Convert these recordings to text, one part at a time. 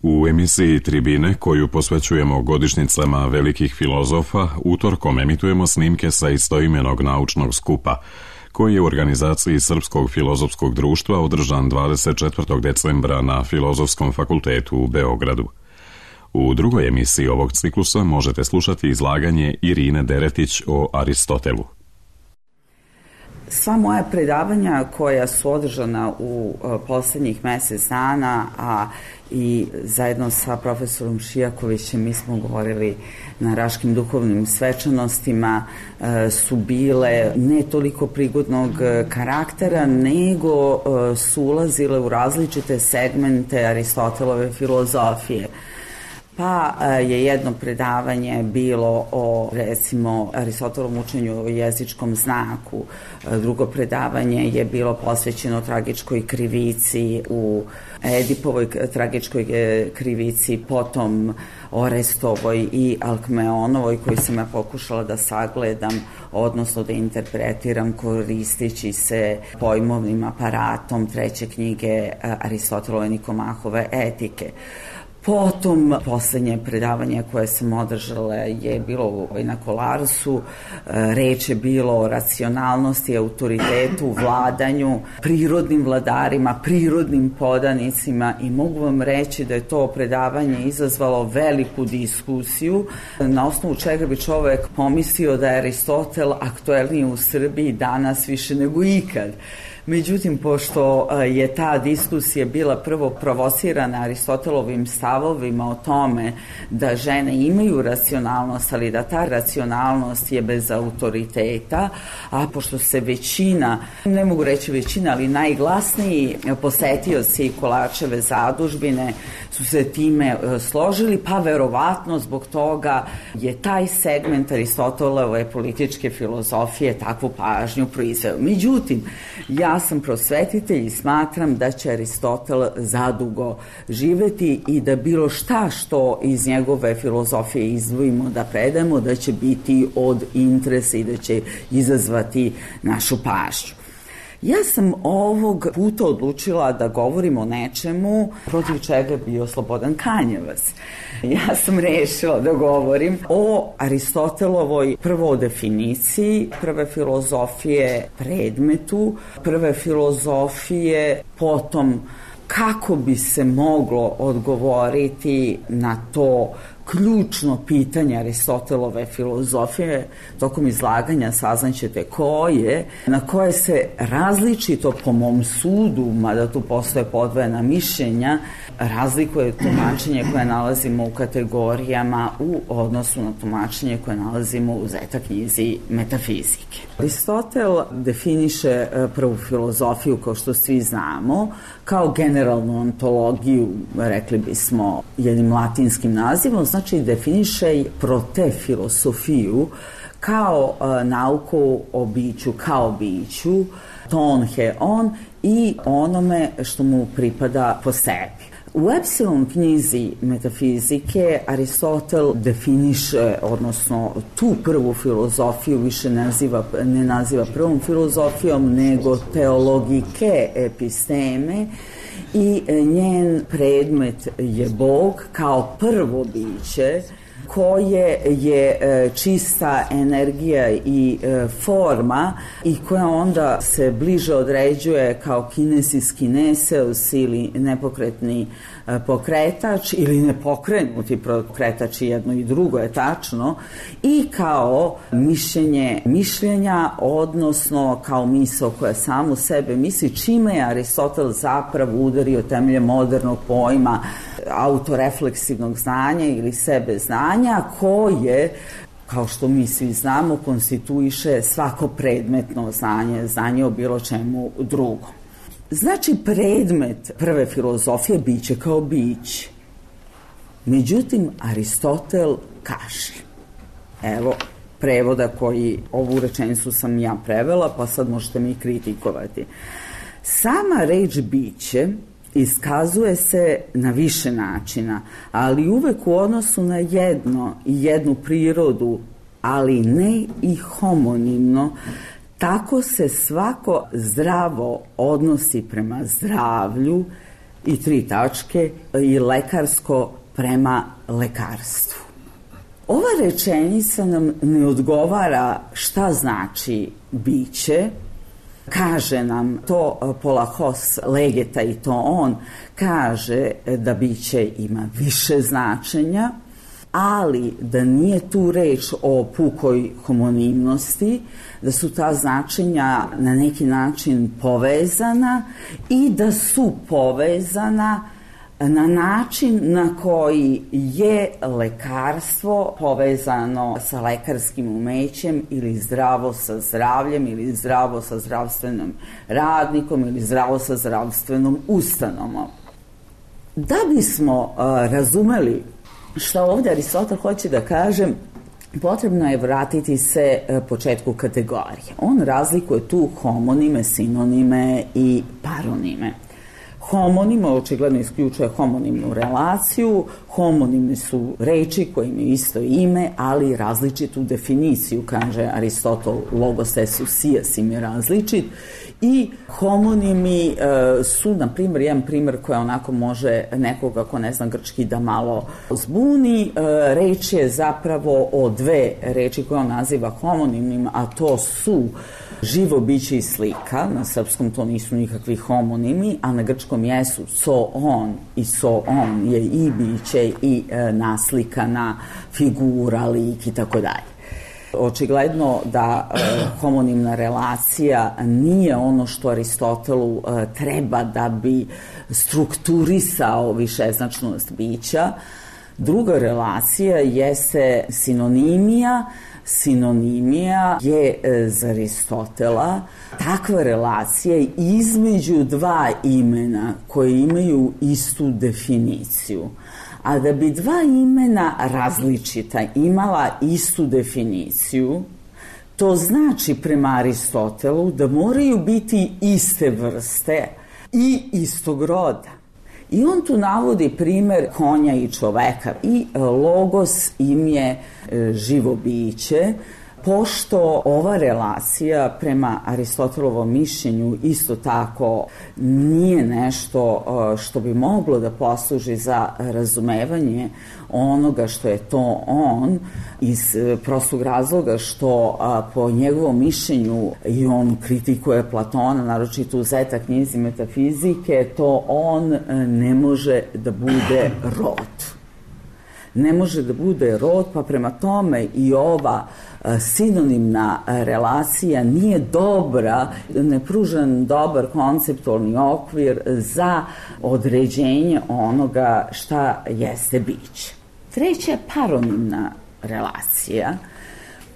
U emisiji Tribine, koju posvećujemo godišnjicama velikih filozofa, utorkom emitujemo snimke sa istoimenog naučnog skupa, koji je u organizaciji Srpskog filozofskog društva održan 24. decembra na Filozofskom fakultetu u Beogradu. U drugoj emisiji ovog ciklusa možete slušati izlaganje Irine Deretić o Aristotelu. Sva moja predavanja koja su održana u poslednjih mesec dana, a i zajedno sa profesorom Šijakovićem mi smo govorili na Raškim duhovnim svečanostima, su bile ne toliko prigodnog karaktera, nego su ulazile u različite segmente Aristotelove filozofije. Pa je jedno predavanje bilo o, recimo, Aristotelovom učenju o jezičkom znaku, drugo predavanje je bilo posvećeno tragičkoj krivici u Edipovoj tragičkoj krivici, potom Orestovoj i Alkmeonovoj, koju sam ja pokušala da sagledam, odnosno da interpretiram koristeći se pojmovnim aparatom treće knjige Aristotelove Nikomahove etike. Potom, poslednje predavanje koje sam održala je bilo na Kolarsu, reč je bilo o racionalnosti, autoritetu, vladanju, prirodnim vladarima, prirodnim podanicima i mogu vam reći da je to predavanje izazvalo veliku diskusiju, na osnovu čega bi čovek pomislio da je Aristotel aktuelniji u Srbiji danas više nego ikad. Međutim, pošto je ta diskusija bila prvo provocirana Aristotelovim stavovima o tome da žene imaju racionalnost, ali da ta racionalnost je bez autoriteta, a pošto se većina, ne mogu reći većina, ali najglasniji posetioci Kolarčeve zadužbine su se time složili, pa verovatno zbog toga je taj segment Aristotelove političke filozofije takvu pažnju proizveo. Međutim, ja sam prosvetitelj i smatram da će Aristotel zadugo živeti i da bilo šta što iz njegove filozofije izdvojimo da predamo, da će biti od interesa i da će izazvati našu pažnju. Ja sam ovog puta odlučila da govorim o nečemu protiv čega bio Slobodan Kanjevac. Ja sam rešila da govorim o Aristotelovoj prvo definiciji, prve filozofije predmetu, prve filozofije, potom kako bi se moglo odgovoriti na to ključno pitanje Aristotelove filozofije. Tokom izlaganja saznaćete na koje se različito po mom sudu, mada tu postoje podvojena mišljenja, razlikuje tumačenje koje nalazimo u kategorijama u odnosu na tumačenje koje nalazimo u Zeta knjizi metafizike. Aristotel definiše prvu filozofiju, kao što svi znamo, kao generalnu ontologiju, rekli bismo jednim latinskim nazivom, znači definiše protefilosofiju kao nauku o biću, kao biću, ton he on i onome što mu pripada po sebi. U Epsilon knjizi metafizike Aristotel definiše, odnosno tu prvu filozofiju više ne naziva prvom filozofijom, nego teologike episteme i njen predmet je Bog kao prvo biće koje je čista energija i forma i koja onda se bliže određuje kao kinesis kineseus ili nepokretni pokretač ili nepokrenuti pokretač, jedno i drugo je tačno, i kao mišljenje mišljenja, odnosno kao misao koja samu sebe misli, čime je Aristotel zapravo udario temelje modernog pojma autorefleksivnog znanja ili sebe znanja, koje, kao što mi svi znamo, konstituiše svako predmetno znanje, znanje o bilo čemu drugom. Znači, predmet prve filozofije biće kao biće. Međutim, Aristotel kaže, evo prevoda koji, ovu rečenicu sam ja prevela, pa sad možete mi kritikovati. Sama reč biće iskazuje se na više načina, ali uvek u odnosu na jednu prirodu, ali ne i homonimno. Tako se svako zdravo odnosi prema zdravlju i 3 tačke i lekarsko prema lekarstvu. Ova rečenica nam ne odgovara šta znači biće. Kaže nam to Polahos Legeta, i to on kaže da biće ima više značenja, ali da nije tu reč o pukoj homonimnosti, da su ta značenja na neki način povezana i da su povezana na način na koji je lekarstvo povezano sa lekarskim umećem ili zdravo sa zdravljem ili zdravo sa zdravstvenim radnikom ili zdravo sa zdravstvenom ustanovom. Da bismo razumeli šta ovdje Aristotel hoće da kaže, potrebno je vratiti se početku kategorije. On razlikuje tu homonime, sinonime i paronime. Homonime očigledno isključuje homonimnu relaciju. Homonimi su reči koje imaju isto ime, ali različitu definiciju, kaže Aristotel, logos esusias im je različit. I homonimi su, na primjer, jedan primjer koji onako može nekoga ko ne zna grčki da malo zbuni. Reč je zapravo o 2 reči koje on naziva homonimima, a to su živo biće i slika. Na srpskom to nisu nikakvi homonimi, a na grčkom jesu zoon, i zoon je i biće i naslikana figura, lik i tako dalje. Očigledno da homonimna relacija nije ono što Aristotelu treba da bi strukturisao višeznačnost bića. Druga relacija jeste sinonimija. Sinonimija je za Aristotela takva relacija između 2 imena koje imaju istu definiciju. A da bi 2 imena različita imala istu definiciju, to znači prema Aristotelu da moraju biti iste vrste i istog roda. I on tu navodi primer konja i čoveka. I logos im je živo biće, pošto ova relacija prema Aristotelovom mišljenju isto tako nije nešto što bi moglo da posluži za razumevanje onoga što je to on, iz prostog razloga što po njegovom mišljenju, i on kritikuje Platona, naročito u Zeta knjizi metafizike, to on ne može da bude rod. Ne može da bude rod, pa prema tome i ova sinonimna relacija nije dobra, ne pruža dobar konceptualni okvir za određenje onoga šta jeste biće. Treća je paronimna relacija,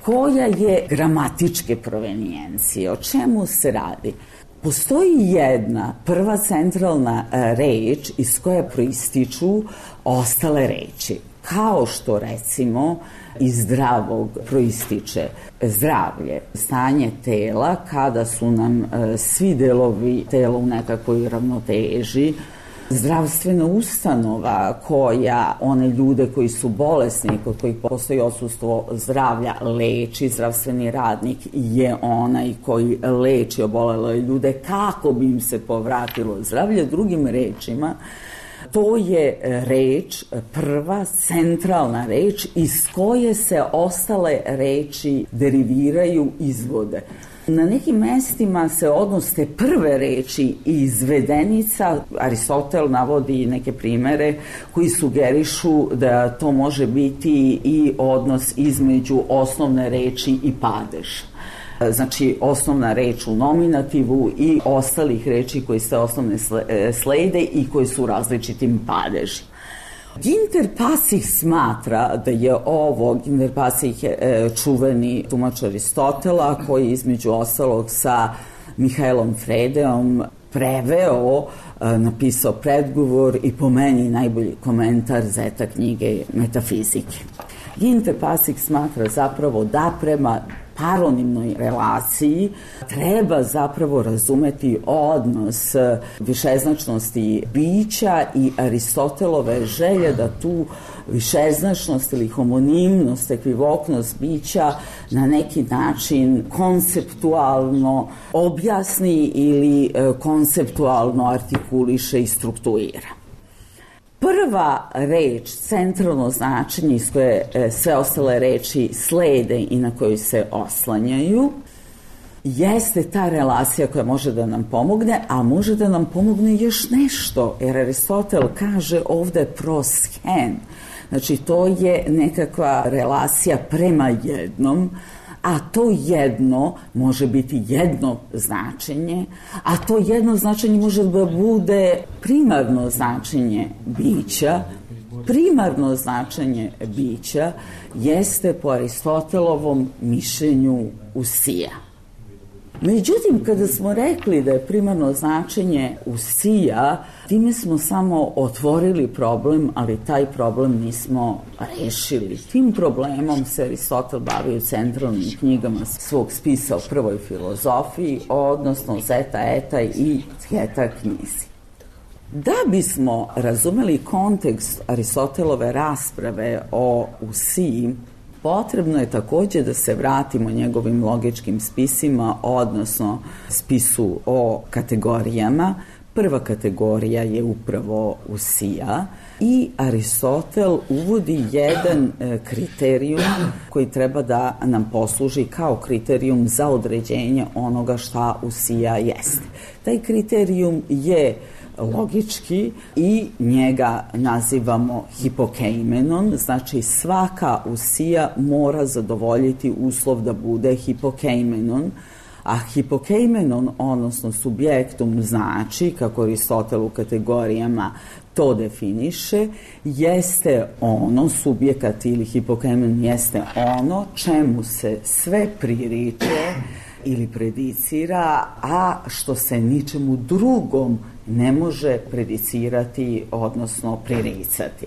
koja je gramatičke provenijencije. O čemu se radi? Postoji jedna prva centralna reč iz koje proističu ostale reči. Kao što, recimo, iz zdravog proističe zdravlje, stanje tela kada su nam svi delovi tela u nekakvoj ravnoteži, zdravstvena ustanova koja one ljude koji su bolesni, kod kojih postoji odsustvo zdravlja, leči. Zdravstveni radnik je onaj koji leči obolele ljude kako bi im se povratilo zdravlje. Drugim rečima, to je reč, prva centralna reč iz koje se ostale reči deriviraju, izvode. Na nekim mestima se odnos te prve reči izvedenica, Aristotel navodi neke primere koji sugerišu da to može biti i odnos između osnovne reči i padeža. Znači, osnovna reč u nominativu i ostalih reči koji se osnovne slede i koji su različitim padežima. Ginter Pasih smatra da je ovo, Ginter Pasih je čuveni tumač Aristotela koji između ostalog sa Mihaelom Fredeom preveo, napisao predgovor i po meni najbolji komentar Zeta knjige metafizike. Ginter Pasih smatra zapravo da prema paronimnoj relaciji treba zapravo razumeti odnos višeznačnosti bića i Aristotelove želje da tu višeznačnost ili homonimnost, ekvivoknost bića na neki način konceptualno objasni ili konceptualno artikuliše i struktuira. Prva reč, centralno značenje iz koje sve ostale reči slede i na koju se oslanjaju, jeste ta relacija koja može da nam pomogne, a može da nam pomogne još nešto, jer Aristotel kaže ovde proschen. Znači, to je nekakva relacija prema jednom, a to jedno može biti jedno značenje, a to jedno značenje može da bude primarno značenje bića. Primarno značenje bića jeste po Aristotelovom mišljenju usija. Međutim, kada smo rekli da je primarno značenje usija, time smo samo otvorili problem, ali taj problem nismo rešili. Tim problemom se Aristotel bavi u centralnim knjigama svog spisa o prvoj filozofiji, odnosno Zeta, Eta i Theta knjizi. Da bismo razumeli kontekst Aristotelove rasprave o usiji, potrebno je takođe da se vratimo njegovim logičkim spisima, odnosno spisu o kategorijama. Prva kategorija je upravo usija i Aristotel uvodi jedan kriterijum koji treba da nam posluži kao kriterijum za određenje onoga šta usija jeste. Taj kriterijum je logički i njega nazivamo hipokeimenon, znači svaka usija mora zadovoljiti uslov da bude hipokeimenon, a hipokeimenon, odnosno subjektum, znači, kako Aristotel u kategorijama to definiše, jeste ono, subjekat ili hipokeimenon jeste ono čemu se sve pririče ili predicira, a što se ničemu drugom ne može predicirati, odnosno priricati.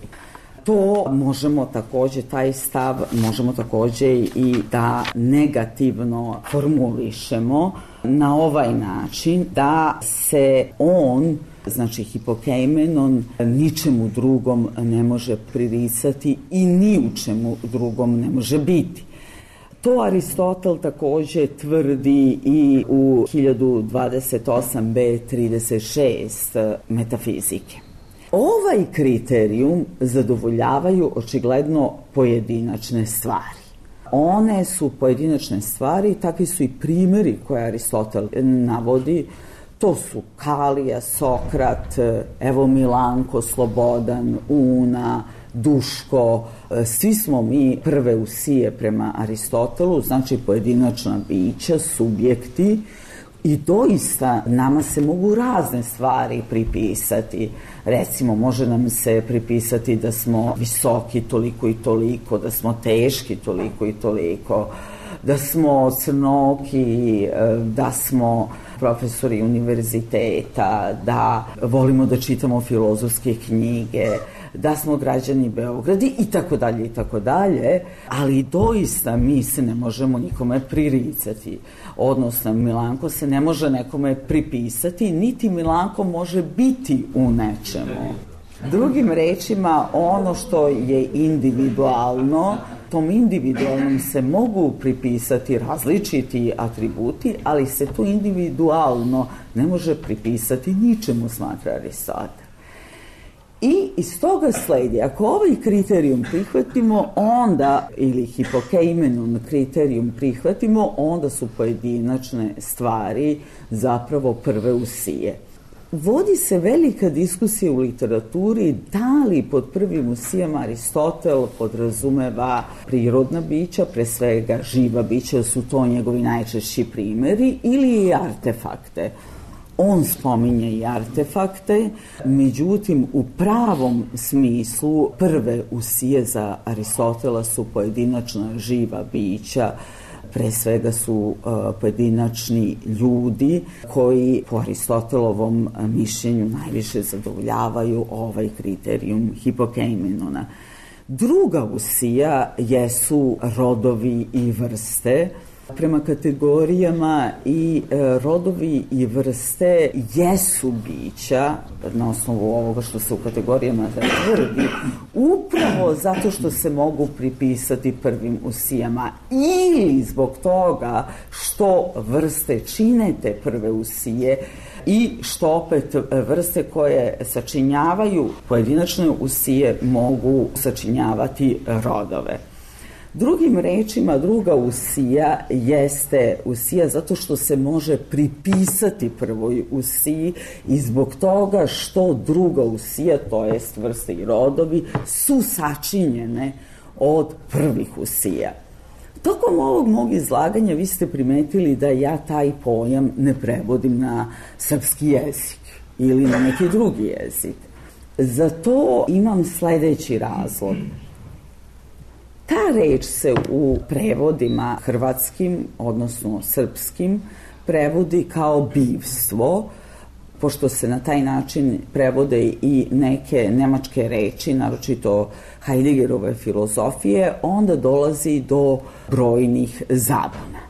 To možemo takođe, taj stav možemo takođe i da negativno formulišemo na ovaj način da se on, znači hipokeimenon, ničemu drugom ne može priricati i ni u čemu drugom ne može biti. To Aristotel takođe tvrdi i u 1028b 36 metafizike. Ovaj kriterijum zadovoljavaju očigledno pojedinačne stvari. One su pojedinačne stvari, takvi su i primeri koje Aristotel navodi. To su Kalija, Sokrat, evo Milanko, Slobodan, Una, Duško, svi smo mi prve usije prema Aristotelu, znači pojedinačna bića, subjekti, i doista nama se mogu razne stvari pripisati. Recimo, može nam se pripisati da smo visoki toliko i toliko, da smo teški toliko i toliko, da smo crnoki, da smo profesori univerziteta, da volimo da čitamo filozofske knjige, da smo građani Beograda i tako dalje i tako dalje, ali doista mi se ne možemo nikome priricati. Odnosno, Milanko se ne može nekome pripisati, niti Milanko može biti u nečemu. Drugim rečima, ono što je individualno, tom individualnom se mogu pripisati različiti atributi, ali se to individualno ne može pripisati ničemu, smatra Aristotel. I iz toga sledi, ako ovaj kriterijum prihvatimo, onda, ili hipokeimenon kriterijum prihvatimo, onda su pojedinačne stvari zapravo prve usije. Vodi se velika diskusija u literaturi da li pod prvim usijama Aristotel podrazumeva prirodna bića, pre svega živa bića, su to njegovi najčešći primeri, ili i artefakte. On spominje i artefakte, međutim u pravom smislu prve usije za Aristotela su pojedinačna živa bića, pre svega su pojedinačni ljudi koji po Aristotelovom mišljenju najviše zadovoljavaju ovaj kriterijum hipokeimenona. Druga usija jesu rodovi i vrste. Prema kategorijama i rodovi i vrste jesu bića, na osnovu ovoga što se u kategorijama tvrdi, upravo zato što se mogu pripisati prvim usijama ili zbog toga što vrste čine te prve usije i što opet vrste koje sačinjavaju pojedinačne usije mogu sačinjavati rodove. Drugim rečima, druga usija jeste usija zato što se može pripisati prvoj usiji i zbog toga što druga usija, to jest vrste i rodovi, su sačinjene od prvih usija. Tokom ovog mog izlaganja vi ste primetili da ja taj pojam ne prevodim na srpski jezik ili na neki drugi jezik. Za to imam sledeći razlog. Ta reč se u prevodima hrvatskim, odnosno srpskim, prevodi kao bivstvo, pošto se na taj način prevode i neke nemačke reči, naročito Heideggerove filozofije, onda dolazi do brojnih zabuna.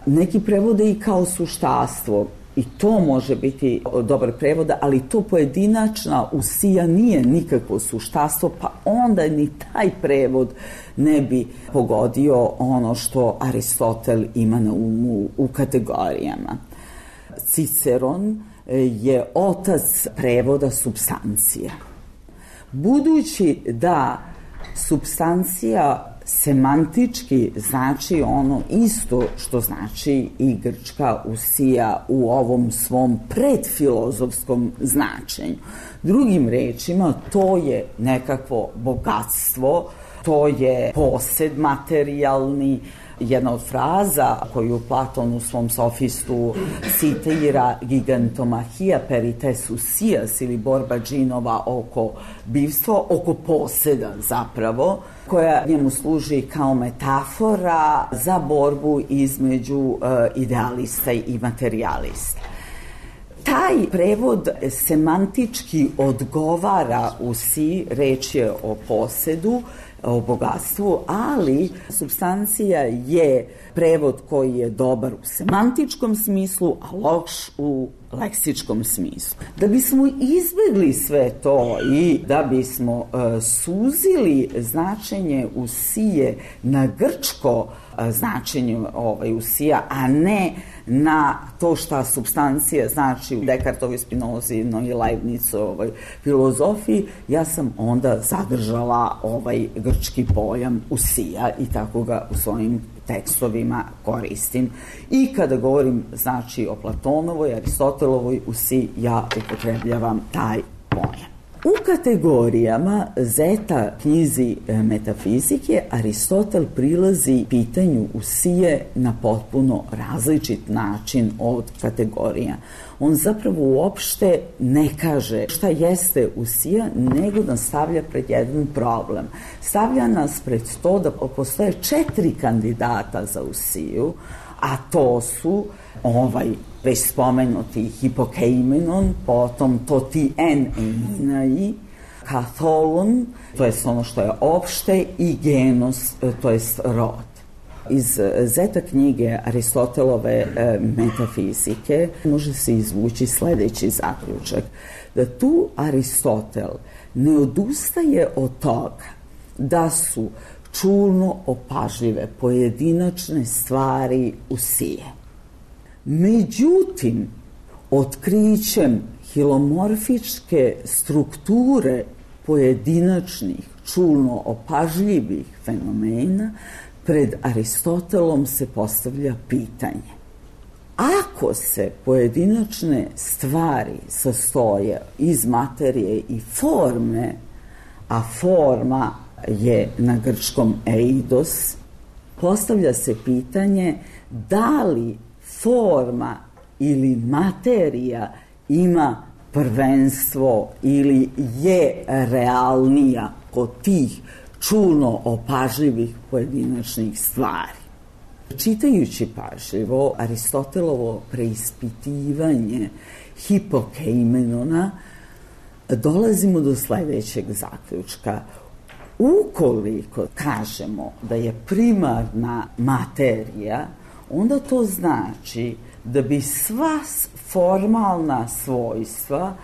Neki prevode i kao suštastvo, i to može biti dobar prevod, ali to pojedinačna usija nije nikakvo suštastvo, pa onda ni taj prevod ne bi pogodio ono što Aristotel ima na umu u kategorijama. Ciceron je otac prevoda supstancija. Budući da supstancija semantički znači ono isto što znači i grčka usija u ovom svom predfilozofskom značenju. Drugim rečima, to je nekakvo bogatstvo, to je posed materijalni. Jedna od fraza koju Platon u svom sofistu citira gigantomahija perites usijas ili borba džinova oko bivstva, oko poseda zapravo, koja njemu služi kao metafora za borbu između idealista i materijalista. Taj prevod semantički odgovara usiji, reč je o posedu, o bogatstvu, ali supstancija je prevod koji je dobar u semantičkom smislu, a loš u leksičkom smislu. Da bismo izbegli sve to i da bismo suzili značenje usije na grčko značenje usija, a ne na to šta supstancija znači u Descartovoj, Spinozinoj i Leibnizovoj filozofiji, ja sam onda zadržala ovaj grčki pojam usija i tako ga u svojim tekstovima koristim. I kada govorim znači o Platonovoj, Aristotelovoj usiji, ja upotrebljavam taj pojam. U kategorijama Zeta knjizi metafizike Aristotel prilazi pitanju usije na potpuno različit način od kategorija. On zapravo uopšte ne kaže šta jeste usija, nego nas stavlja pred jedan problem. Stavlja nas pred to da postoje 4 kandidata za usiju, a to su već spomenuti hipokeimenon, potom to ti en einai, katholon, to je ono što je opšte, i genos, to je rod. Iz Zeta knjige Aristotelove metafizike može se izvući sledeći zaključak, da tu Aristotel ne odustaje od toga da su čulno opažljive pojedinačne stvari usije. Međutim, otkrićem hilomorfičke strukture pojedinačnih čulno opažljivih fenomena pred Aristotelom se postavlja pitanje. Ako se pojedinačne stvari sastoje iz materije i forme, a forma je na grčkom eidos, postavlja se pitanje da li forma ili materija ima prvenstvo ili je realnija kod tih čulno opažljivih pojedinačnih stvari. Čitajući pažljivo Aristotelovo preispitivanje hipokeimenona, dolazimo do sledećeg zaključka. Ukoliko kažemo da je primarna materija onda to znači da bi sva formalna svojstva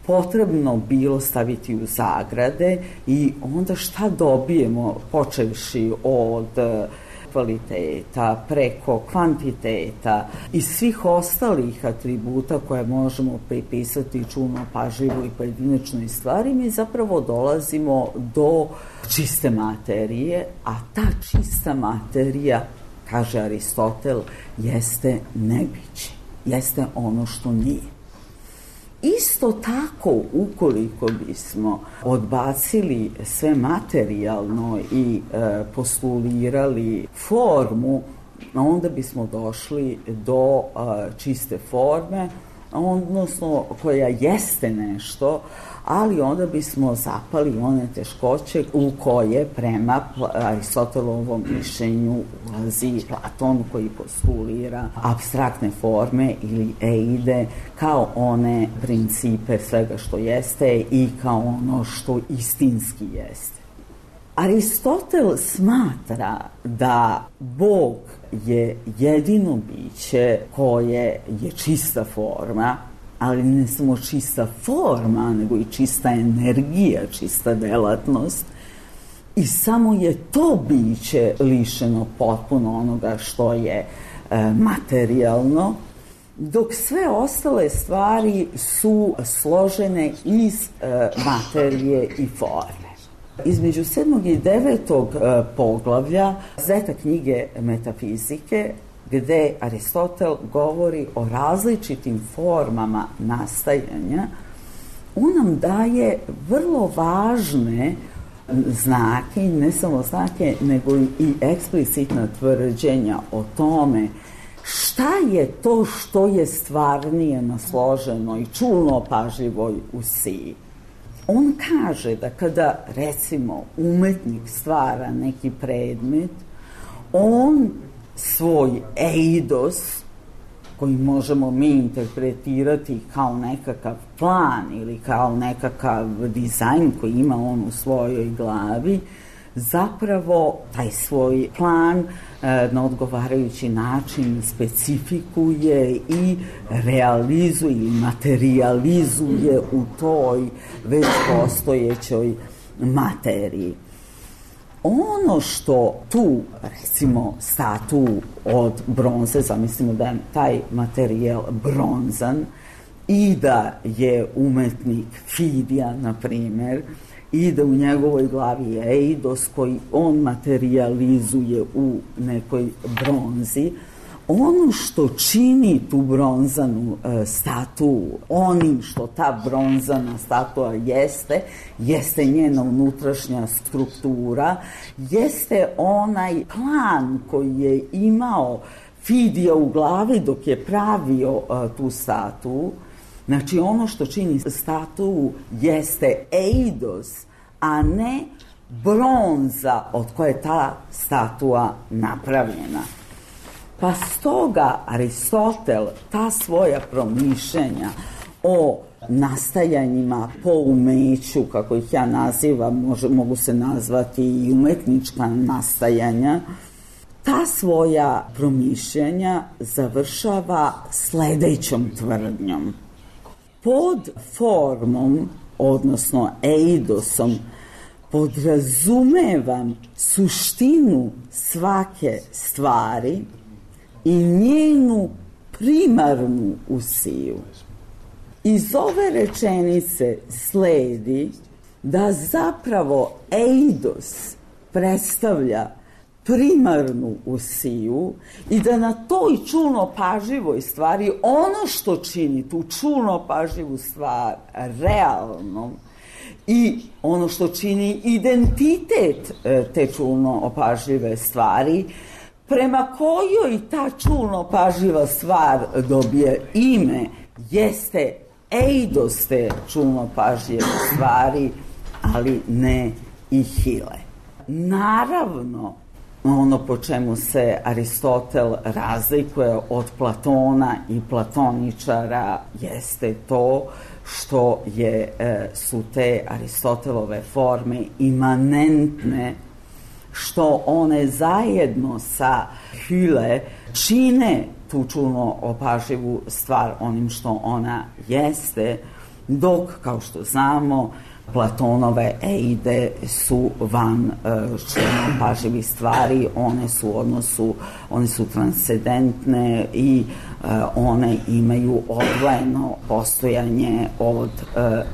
potrebno bilo staviti u zagrade i onda šta dobijemo počevši od kvaliteta, preko kvantiteta i svih ostalih atributa koje možemo pripisati čulno pažljivoj pojedinačnoj stvari, mi zapravo dolazimo do čiste materije, a ta čista materija, kaže Aristotel, jeste nebiće, jeste ono što nije. Isto tako, ukoliko bismo odbacili sve materijalno i postulirali formu, onda bismo došli do čiste forme, odnosno koja jeste nešto, ali onda bismo zapali one teškoće u koje prema Aristotelovom mišljenju ulazi Platon, koji postulira apstraktne forme ili eide kao one principe svega što jeste i kao ono što istinski jeste. Aristotel smatra da Bog je jedino biće koje je čista forma, ali ne samo čista forma, nego i čista energija, čista delatnost. I samo je to biće lišeno potpuno onoga što je materijalno, dok sve ostale stvari su složene iz materije i forme. Između 7. i 9. poglavlja Zeta knjige metafizike, gde Aristotel govori o različitim formama nastajanja, on nam daje vrlo važne znake, ne samo znake, nego i eksplicitna tvrđenja o tome šta je to što je stvarnije na složenoj, čulno pažljivoj usiji. On kaže da kada, recimo, umetnik stvara neki predmet, on svoj eidos, koji možemo mi interpretirati kao nekakav plan ili kao nekakav dizajn koji ima on u svojoj glavi, zapravo taj svoj plan na odgovarajući način specifikuje i realizuje ili materializuje u toj već postojećoj materiji. Ono što tu, recimo, statu od bronze, zamislimo da je taj materijal bronzan i da je umetnik Fidija, na primer, i da u njegovoj glavi je eidos koji on materializuje u nekoj bronzi, ono što čini tu bronzanu statu, onim što ta bronzana statua jeste njena unutrašnja struktura, jeste onaj plan koji je imao Fidija u glavi dok je pravio tu statu. Znači, ono što čini statu jeste eidos, a ne bronza od koje je ta statua napravljena. Pa stoga Aristotel ta svoja promišljenja o nastajanjima po umeću, kako ih ja nazivam, mogu se nazvati i umetnička nastajanja, ta svoja promišljanja završava sledećom tvrdnjom. Pod formom, odnosno eidosom, podrazumevam suštinu svake stvari i njenu primarnu usiju. Iz ove rečenice sledi da zapravo eidos predstavlja primarnu usiju i da na toj čulno pažljivoj stvari ono što čini tu čulno pažljivu stvar realnom i ono što čini identitet te čulno opažljive stvari, prema kojoj ta čulno pažljiva stvar dobije ime, jeste eidos te čulno pažljive stvari, ali ne i hile. Naravno, ono po čemu se Aristotel razlikuje od Platona i platoničara jeste to što su te Aristotelove forme imanentne što one zajedno sa Hüle čine tu čulno opažljivu stvar onim što ona jeste, dok, kao što znamo, Platonove Eide su van čulno opažljivih stvari, one su transcendentne i one imaju odvojeno postojanje od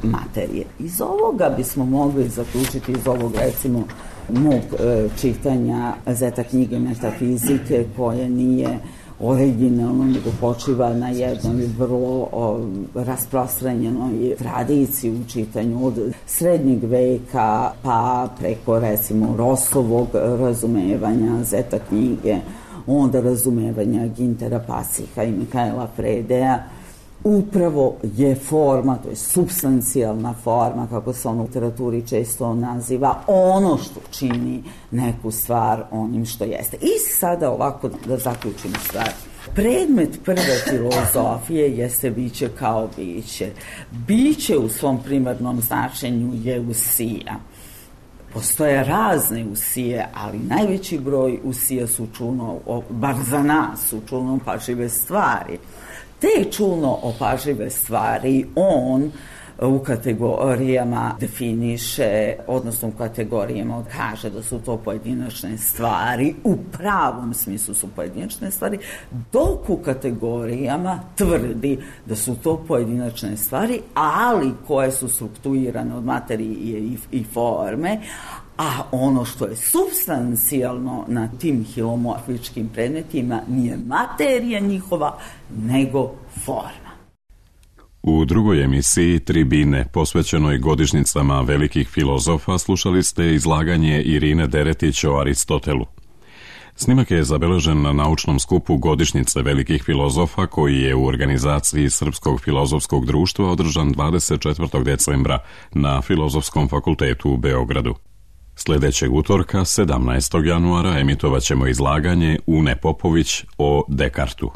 materije. Iz ovoga bismo mogli zaključiti, iz ovog recimo mog čitanja Zeta knjige metafizike, koje nije originalno, nego počiva na jednoj vrlo rasprostranjenoj tradiciji u čitanju od srednjeg veka pa preko recimo Rossovog razumevanja Zeta knjige, onda razumevanja Gintera Passiha i Mikaela Fredeja. Upravo je forma, to je supstancijalna forma, kako se ono u literaturi često naziva, ono što čini neku stvar onim što jeste. I sada ovako da zaključim stvar. Predmet prve filozofije jeste biće kao biće. Biće u svom primarnom značenju je usija. Postoje razne usije, ali najveći broj usija su čulno, bar za nas, su čulno opažljive stvari. Te čulno opažljive stvari on u kategorijama definiše, odnosno u kategorijama kaže da su to pojedinačne stvari, u pravom smislu su pojedinačne stvari, dok u kategorijama tvrdi da su to pojedinačne stvari, ali koje su strukturirane od materije i forme, a ono što je supstancijalno na tim hilomorfičkim predmetima nije materija njihova, nego forma. U drugoj emisiji Tribine, posvećenoj godišnjicama velikih filozofa, slušali ste izlaganje Irine Deretić o Aristotelu. Snimak je zabeležen na naučnom skupu godišnjice velikih filozofa koji je u organizaciji Srpskog filozofskog društva održan 24. decembra na Filozofskom fakultetu u Beogradu. Sljedećeg utorka, 17. januara, emitovat ćemo izlaganje Une Popović o Dekartu.